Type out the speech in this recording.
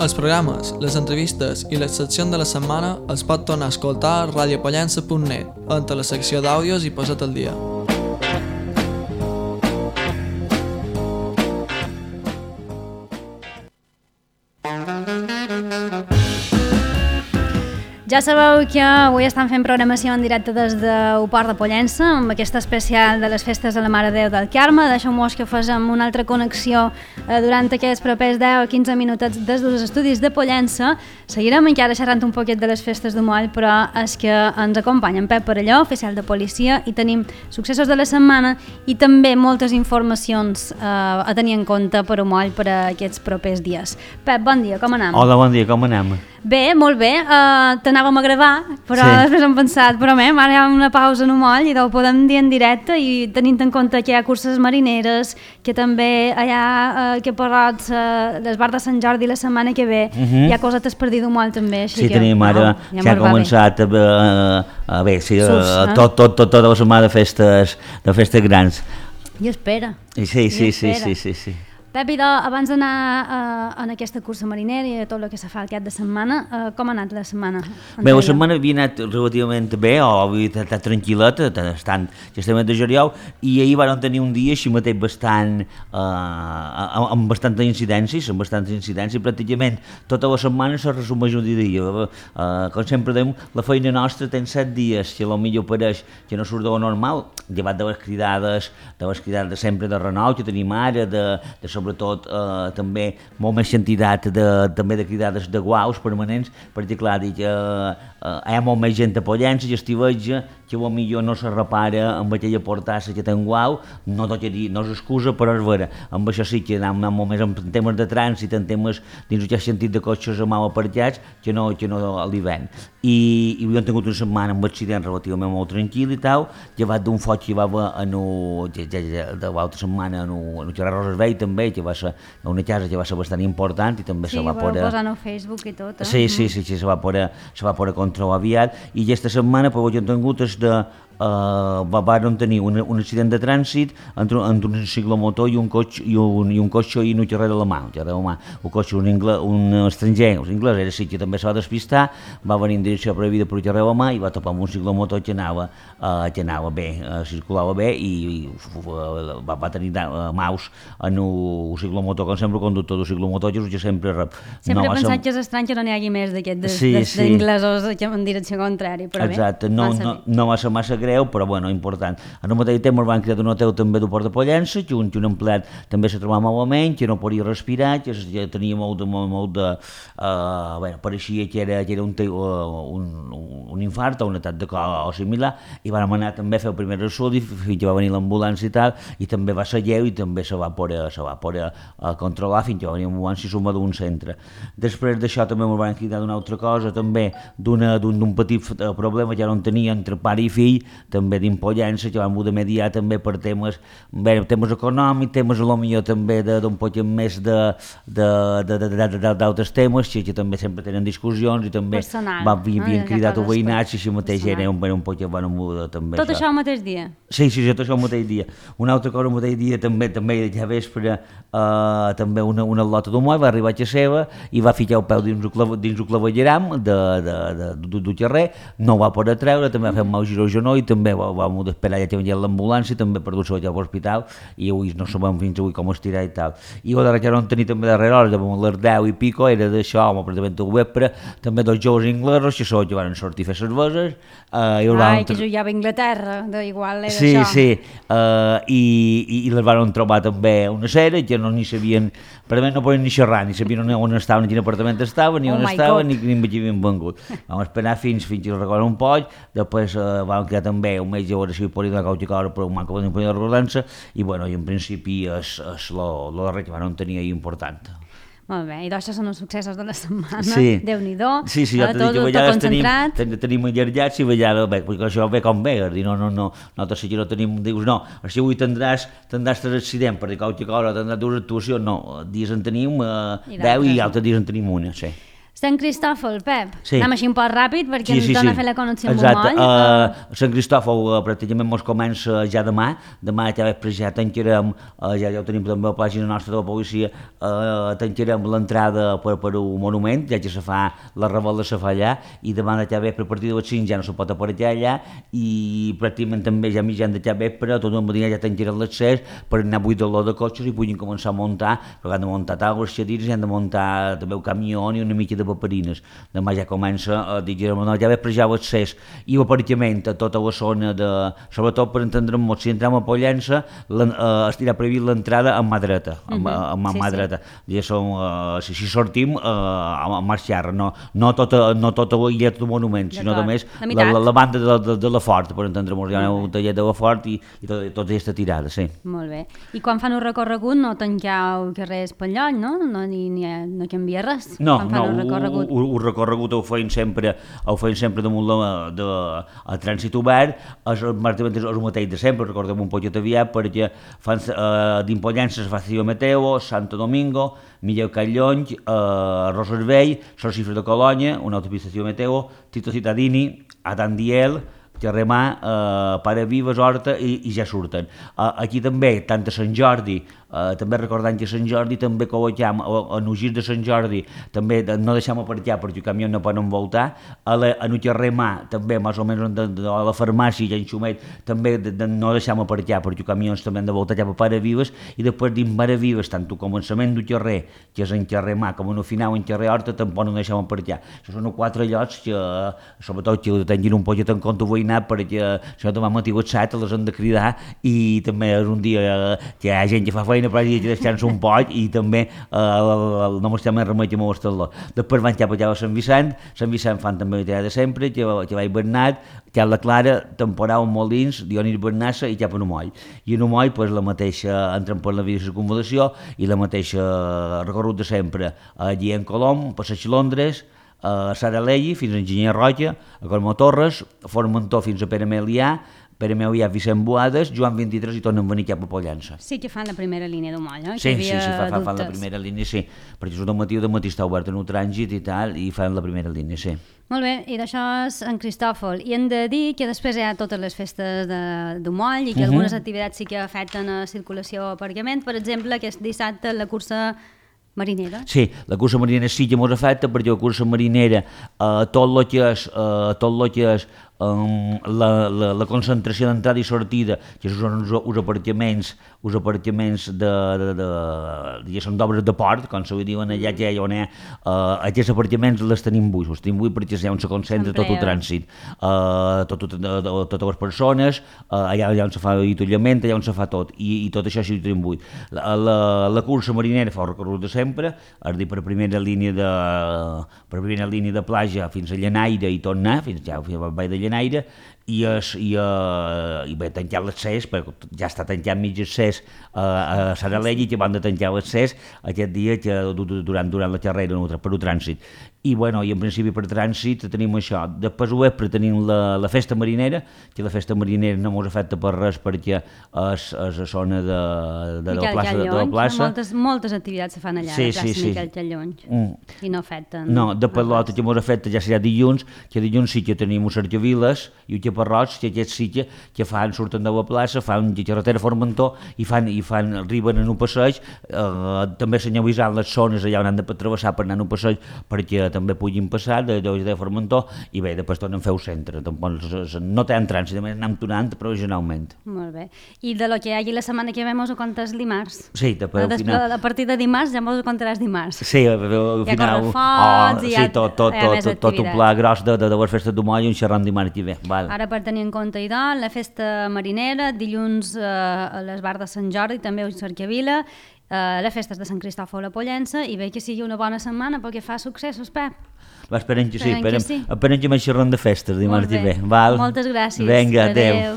Els programes, les entrevistes i les seccions de la setmana es pot tornar a escoltar a radiopollença.net, entre la secció d'àudios i Posa't al dia. Ja sabeu que avui estan fent programació en directe des del Port de Pollença amb aquesta especial de les festes de la Mare de Déu del Carme. Deixeu-nos que facem una altra connexió durant aquests propers 10 o 15 minutets des dels estudis de Pollença. Seguirem encara xerrant un poquet de les festes de Moll, però és que ens acompanya en Pep Parelló, oficial de policia, i tenim successos de la setmana i també moltes informacions a tenir en compte per a Moll per a aquests propers dies. Pep, bon dia, com anem? Hola, bon dia, com anem? Bé, molt bé, t'anàvem a gravar, però després hem pensat, però ara hi ha una pausa en un moll i ho podem dir en directe, i tenint en compte que hi ha curses marineres, que també hi ha que Porrots, l'Esbar de Sant Jordi la setmana que ve, hi ha cosetes per dir d'un moll també. Sí, tenim ara, ja ha començat tota la setmana de festes grans. I espera. Sí. Pep, abans d'anar en aquesta cursa marinera i tot el que se fa al cap de setmana, com ha anat la setmana? Bé, la setmana havia anat relativament bé, havia estat tranquil·leta, estant justament de juliol, i ahir vam tenir un dia així mateix amb bastantes incidències, i pràcticament tota la setmana se resumeix un dia. Com sempre dèiem, la feina nostra té 7 dies, que potser pareix que no surt de lo normal, llevat de les cridades sempre de renou que tenim ara, sobretot també molt més quantitat també de cridades de guaus permanents, perquè clar, hi ha molt més gent a Pollença i estiveja que potser no se repara amb aquella portassa que té un guau, no és excusa, però és vera. Amb això sí que anem molt més en temes de trànsit, en temes dins aquest sentit de cotxes mal aparcats, que no a l'hivern. I hem tingut una setmana amb accident relativament molt tranquil i tal, llevat d'un foc que hi va haver de l'altra setmana en Gerard Roses Vell també, que va ser una casa que va ser bastant important i també se va poder... Sí, posant a Facebook i tot, Sí, se va poder controlar aviat, i aquesta setmana per ho que hem tingut és van tenir un accident de trànsit entre un ciclomotor i un cotxe i un carrer de la mà. Un cotxe, un estranger, un anglès, era sí que també se va despistar, va venir en direcció prohibida per carrer de la mà i va topar amb un ciclomotor que anava bé, circulava bé, i va tenir maus en un ciclomotor, com sempre el conductor d'un ciclomotor, que sempre rep. Sempre he pensat que és estrany que no n'hi hagi més d'aquests d'inglesos en direcció contrària, però bé. Exacte, no va ser massa greu, però bueno, important. En el mateix temps van crear un hotel també del Port de Pollença, que un empleat també se trobava malament, que no podia respirar, que tenia molt de... pareixia que era un infart o un atac de cor o similar, i vam anar també a fer el primer estudi fins que va venir l'ambulància i tal, i també va ser lleu i també se va poder controlar fins que va venir l'ambulància i suma d'un centre. Després d'això també ens van cridar d'una altra cosa, també d'un petit problema que no tenia entre pare i fill, també d'Impollença, que vam poder mediar també per temes econòmics, temes potser també d'un poc més d'altres temes, que també sempre tenen discussions, i també havien cridat els veïnats, i així mateix era un poc també. Tot això el mateix dia? Sí, tot això el mateix dia. Una altra cosa el mateix dia, també ja vespre, també una lota d'humor va arribar a seva i va ficar el peu dins el clavegueram del carrer, no va poder treure, també va fer un mal giro al genoll, i també vam esperar ja que venia l'ambulància, també per dur-se a l'hospital, i avui no sabem fins avui com estirar i tal. I la darrere vam tenir també darrere hores, les 10 i pico, era d'això, pràcticament al vespre, també dos joves inglesos, que van sortir a fer cerveses. Que jugava a Inglaterra, igual era això. Sí, i les van trobar també una sèrie, que no ni sabien, pràcticament no podien ni xerrar, ni sabien on estaven, ni quin apartament estaven, ni on estaven, ni quin havien vengut. Vam esperar fins que els recorden un poc, després vam crear també un metge a si podia donar qualque cosa, però un manco de recordar-se, i en principi és el darrer que van tenir important. Molt bé, i això són els successos de la setmana, Déu-n'hi-do, sí, jo tot concentrat. Tenim allargats i vegades, perquè això ve com ve, no sé que no tenim, dius, no, si avui tindràs 3 accidents, perquè qualque cosa tindràs 2 actuacions, no, dies en tenim 10 i altres dies en tenim una, sí. Sant Cristòfol, Pep. Sí. Anem així un poc ràpid perquè ens dona a fer la connexió amb un moll. Sant Cristòfol pràcticament mos comença ja demà. Demà ja vespre ja tancarem, ja ho tenim també a la pàgina nostra de la policia, tancarem l'entrada per un monument, ja se fa la revolta se fa allà, i demà ja vespre a partir de les 5 ja no se pot aparcar allà, i pràcticament també ja mitjan de ja vespre, tot el matí ja tancarem l'accés per anar a buidar l'or de cotxes i puguin començar a muntar, perquè han de muntar taules, xadires, i han de muntar també el camió i una mica de paperines. Demà ja comença, ja vespre ja l'accés i l'aparcament a tota la zona de... Sobretot per entendre'm, si entrem a Pollença, estirà previst l'entrada amb mà dreta, amb mà dreta. Si sortim, a marxar, no tota l'illa del monument, sinó només la banda de la Fort, per entendre'm, hi ha un tallet de la Fort i tota aquesta tirada, sí. Molt bé. I quan fan un recorregut no tanqueu carrers pel lloc, no? No canvia res? No, el recorregut ho feim sempre damunt el trànsit obert, és el mateix de sempre, recordem un poquet aviat, perquè d'Impollença es fa Cio Meteo, Santo Domingo, Milleu Callonge, Roservell, Son Cifres de Colònia, una autopista Cio Meteo, Tito Cittadini, Adandiel, Terremà, Pare Vives, Horta i ja surten. Aquí també, tant a Sant Jordi, també recordant que a Sant Jordi també col·loquem, en el gir de Sant Jordi també no deixem aparcar perquè el camió no poden voltar, en el Terremà també més o menys a la farmàcia i en Xumet també no deixem aparcar perquè els camions també han de voltar cap a Pare Vives, i després dins Pare Vives, tant al començament del carrer, que és en Terremà, com en el final en carrer Horta, tampoc no deixem aparcar. Això són 4 llocs que, sobretot, que tinguin un poquet en compte veïnat, perquè si no demà matí a les 7 les han de cridar, i també és un dia que hi ha gent que fa feina però hi ha que deixar-se un poc, i també no m'estem més remei que m'ho estel·lo. Després van cap allà a Sant Vicent fan també la tirada de sempre, que va Bernat, que la Clara, temporal Molins, Dionís Bernassa i cap a Numoll. I a Numoll, la mateixa, entren per la via de circunvalació i la mateixa recorregut de sempre. Allí en Colom, Passeig Londres, a Saralegi fins a Enginyer Roca, a Cormó Torres, a Formentó fins a Pere Melià, Vicent Boades, Joan 23 i tornen a venir cap a Pollença. Sí que fan la primera línia d'un moll, no? Sí, fan la primera línia, sí, perquè és de matí està obert en un trànsit i tal, i fan la primera línia, sí. Molt bé, i d'això és en Cristòfol. I hem de dir que després hi ha totes les festes d'un moll i que algunes activitats sí que afecten a circulació o aparcament. Per exemple, aquest dissabte la cursa marinera. Sí, la cursa marinera sí que ens afecta, perquè la cursa marinera, tot el que és la concentració d'entrada i sortida, que són els aparcaments d'obres de port, com se diuen allà, que on hi ha aquests aparcaments les tenim buits perquè és allà on se concentra tot el trànsit, totes les persones, allà on se fa l'avituallament, allà on se fa tot, i tot això sí ho tenim buit. La cursa marinera fa el recorregut de sempre, és a dir, per primera línia de platja fins a Llenaire i tornar, fins al Vall de Llenaire, i bé, tancar l'accés, perquè ja està tancat mig accés a Saralegi, que van de tancar l'accés aquest dia durant la carrera per el trànsit. I en principi per trànsit tenim això. Després ho vespre tenim la festa marinera, que la festa marinera no ens afecta per res perquè és a zona de la plaça. Moltes activitats se fan allà, a la plaça Miquel Callonge, i no afecten. No, després l'altre que ens afecta ja serà dilluns, que dilluns sí que tenim uns Cercaviles i un Caparrots, que aquests sí que surten de la plaça, fan carretera Formentó i arriben en un passeig, també senyalitzant les zones allà on han de travessar per anar en un passeig perquè també puguin passar de Formentó, i bé, després tornen a fer el centre. No tenen trànsit, només anem tornant provisionalment. Molt bé. I de lo que hi hagi la setmana que ve mos ho contes dimarts? Sí, a partir de dimarts ja mos ho contaràs dimarts. Sí, al final... Tot un pla gros de les festes d'un moll i un xerran dimarts que ve. Ara, per tenir en compte la festa marinera, dilluns a l'Esbar de Sant Jordi, també a Cercavila, les festes de Sant Cristòfol a Pollença, i bé que sigui una bona setmana perquè fa successos, Pep. Esperem que sí, esperem que m'hi xerran de festes dimarts que ve. Moltes gràcies. Vinga, adeu.